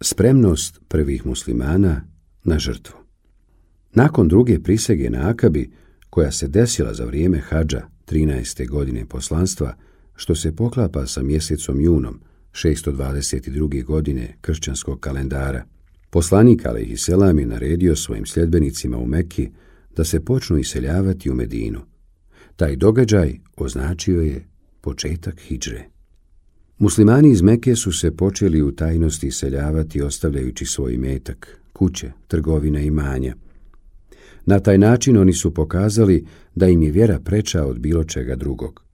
Spremnost prvih muslimana na žrtvu. Nakon druge prisege na Akabi, koja se desila za vrijeme hadža 13. godine poslanstva, što se poklapa sa mjesecom junom 622. godine kršćanskog kalendara, poslanik alejhiselam je naredio svojim sljedbenicima u Mekki da se počnu iseljavati u Medinu. Taj događaj označio je početak hidžre. Muslimani iz Mekke su se počeli u tajnosti iseljavati ostavljajući svoj imetak, kuće, trgovine i imanja. Na taj način oni su pokazali da im je vjera preča od bilo čega drugog.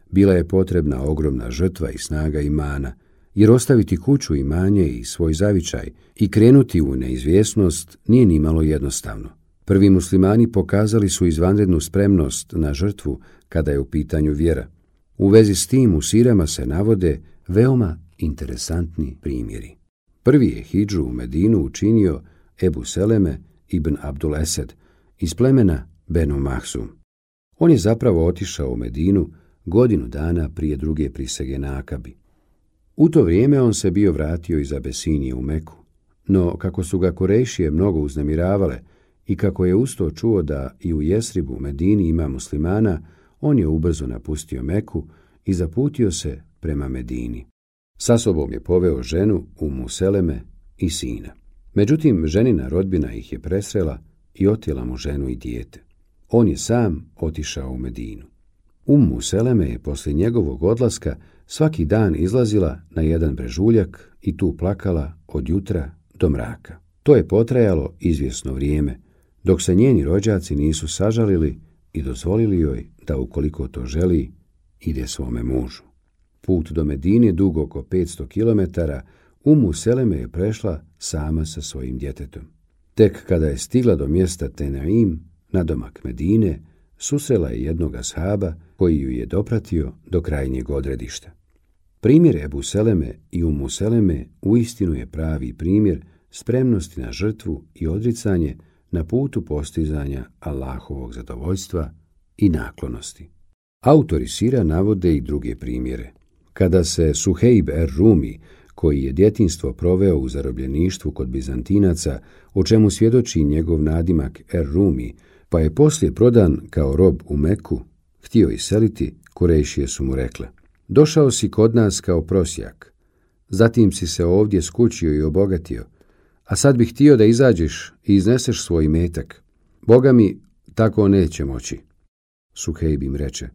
Bila je potrebna ogromna žrtva i snaga imana, jer ostaviti kuću, imanje i svoj zavičaj i krenuti u neizvjesnost nije nimalo jednostavno. Prvi muslimani pokazali su izvanrednu spremnost na žrtvu kada je u pitanju vjera. U vezi s tim u sirama se navode veoma interesantni primjeri. Prvi je hidžu u Medinu učinio Ebu Seleme ibn Abdul Esed iz plemena Benu Mahzum. On je zapravo otišao u Medinu godinu dana prije druge prisege na Akabi. U to vrijeme on se bio vratio iz Abesinije u Meku, no kako su ga Kurejšije mnogo uznemiravale i kako je usto čuo da i u Jesribu, Medini, ima muslimana, on je ubrzo napustio Meku i zaputio se prema Medini. Sa sobom je poveo ženu Ummu Seleme i sina. Međutim, ženina rodbina ih je presrela i otjela mu ženu i dijete. On je sam otišao u Medinu. Ummu Seleme je poslije njegovog odlaska svaki dan izlazila na jedan brežuljak i tu plakala od jutra do mraka. To je potrajalo izvjesno vrijeme, dok se njeni rođaci nisu sažalili i dozvolili joj da, ukoliko to želi, ide svome mužu. Put do Medine, dug oko 500 km, Ummu Seleme je prešla sama sa svojim djetetom. Tek kada je stigla do mjesta Tenaim, nadomak Medine, susrela je jednog ashaba koji ju je dopratio do krajnjeg odredišta. Primjer Ebu Seleme i Ummu Seleme uistinu je pravi primjer spremnosti na žrtvu i odricanje na putu postizanja Allahovog zadovoljstva i naklonosti. Autori sira navode i druge primjere. Kada se Suhejb er-Rumi, koji je djetinjstvo proveo u zarobljeništvu kod Bizantinaca, o čemu svjedoči njegov nadimak er-Rumi, pa je poslije prodan kao rob u Meku, htio iseliti, Kurejšije su mu rekle: došao si kod nas kao prosjak, zatim si se ovdje skućio i obogatio, a sad bih htio da izađeš i izneseš svoj imetak. Boga mi, tako neće moći. Suhejb im reče: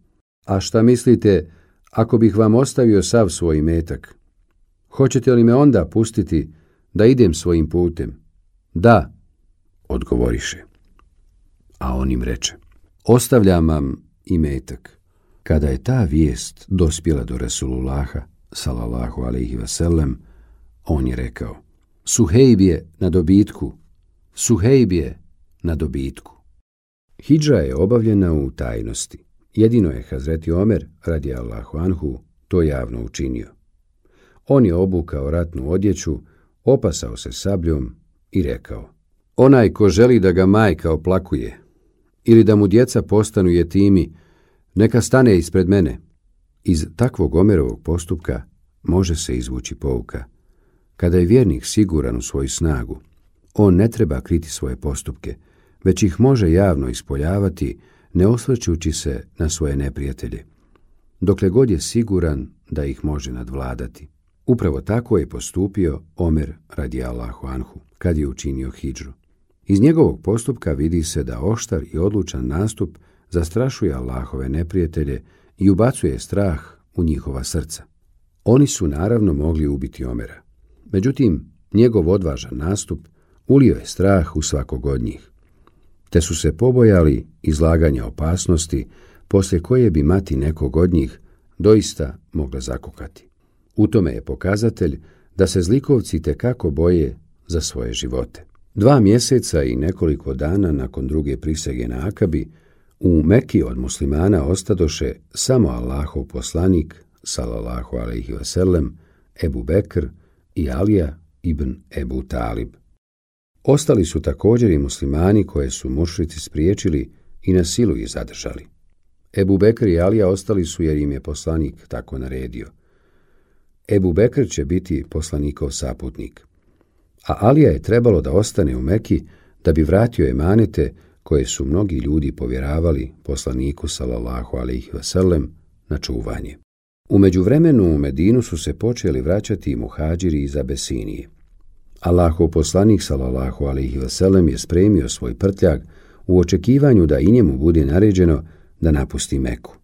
a šta mislite ako bih vam ostavio sav svoj imetak? Hoćete li me onda pustiti da idem svojim putem? Da, odgovoriše. A on im reče: ostavljam vam imetak. Kada je ta vijest dospjela do Resulullaha, sallallahu alejhi ve sellem, on je rekao: Suhejb je na dobitku, Suhejb je na dobitku. Hidža je obavljena u tajnosti. Jedino je Hazreti Omer, radijallahu anhu, to javno učinio. On je obukao ratnu odjeću, opasao se sabljom i rekao: onaj ko želi da ga majka oplakuje ili da mu djeca postanu jetimi, neka stane ispred mene. Iz takvog Omerovog postupka može se izvući pouka. Kada je vjernik siguran u svoju snagu, on ne treba kriti svoje postupke, već ih može javno ispoljavati, ne osvrćući se na svoje neprijatelje, dokle god je siguran da ih može nadvladati. Upravo tako je postupio Omer radijallahu anhu kad je učinio hidžru. Iz njegovog postupka vidi se da oštar i odlučan nastup zastrašuje Allahove neprijatelje i ubacuje strah u njihova srca. Oni su naravno mogli ubiti Omera. Međutim, njegov odvažan nastup ulio je strah u svakog od njih, te su se pobojali izlaganja opasnosti poslije koje bi mati nekog od njih doista mogla zakukati. U tome je pokazatelj da se zlikovci tekako boje za svoje živote. 2 mjeseca i nekoliko dana nakon druge prisege na Akabi, u Meki od muslimana ostadoše samo Allahov poslanik, sallallahu alejhi ve sellem, Ebu Bekr i Alija ibn Ebu Talib. Ostali su također i muslimani koje su mušrici spriječili i na silu ih zadržali. Ebu Bekr i Alija ostali su jer im je poslanik tako naredio. Ebu Bekr će biti poslanikov saputnik. a Alija je trebalo da ostane u Meki da bi vratio emanete koje su mnogi ljudi povjeravali poslaniku sallallahu alejhi ve sellem na čuvanje. U međuvremenu u Medinu su se počeli vraćati i muhađiri iz Abesinije. Allahov poslanik sallallahu alejhi ve sellem je spremio svoj prtljag u očekivanju da i njemu bude naređeno da napusti Meku.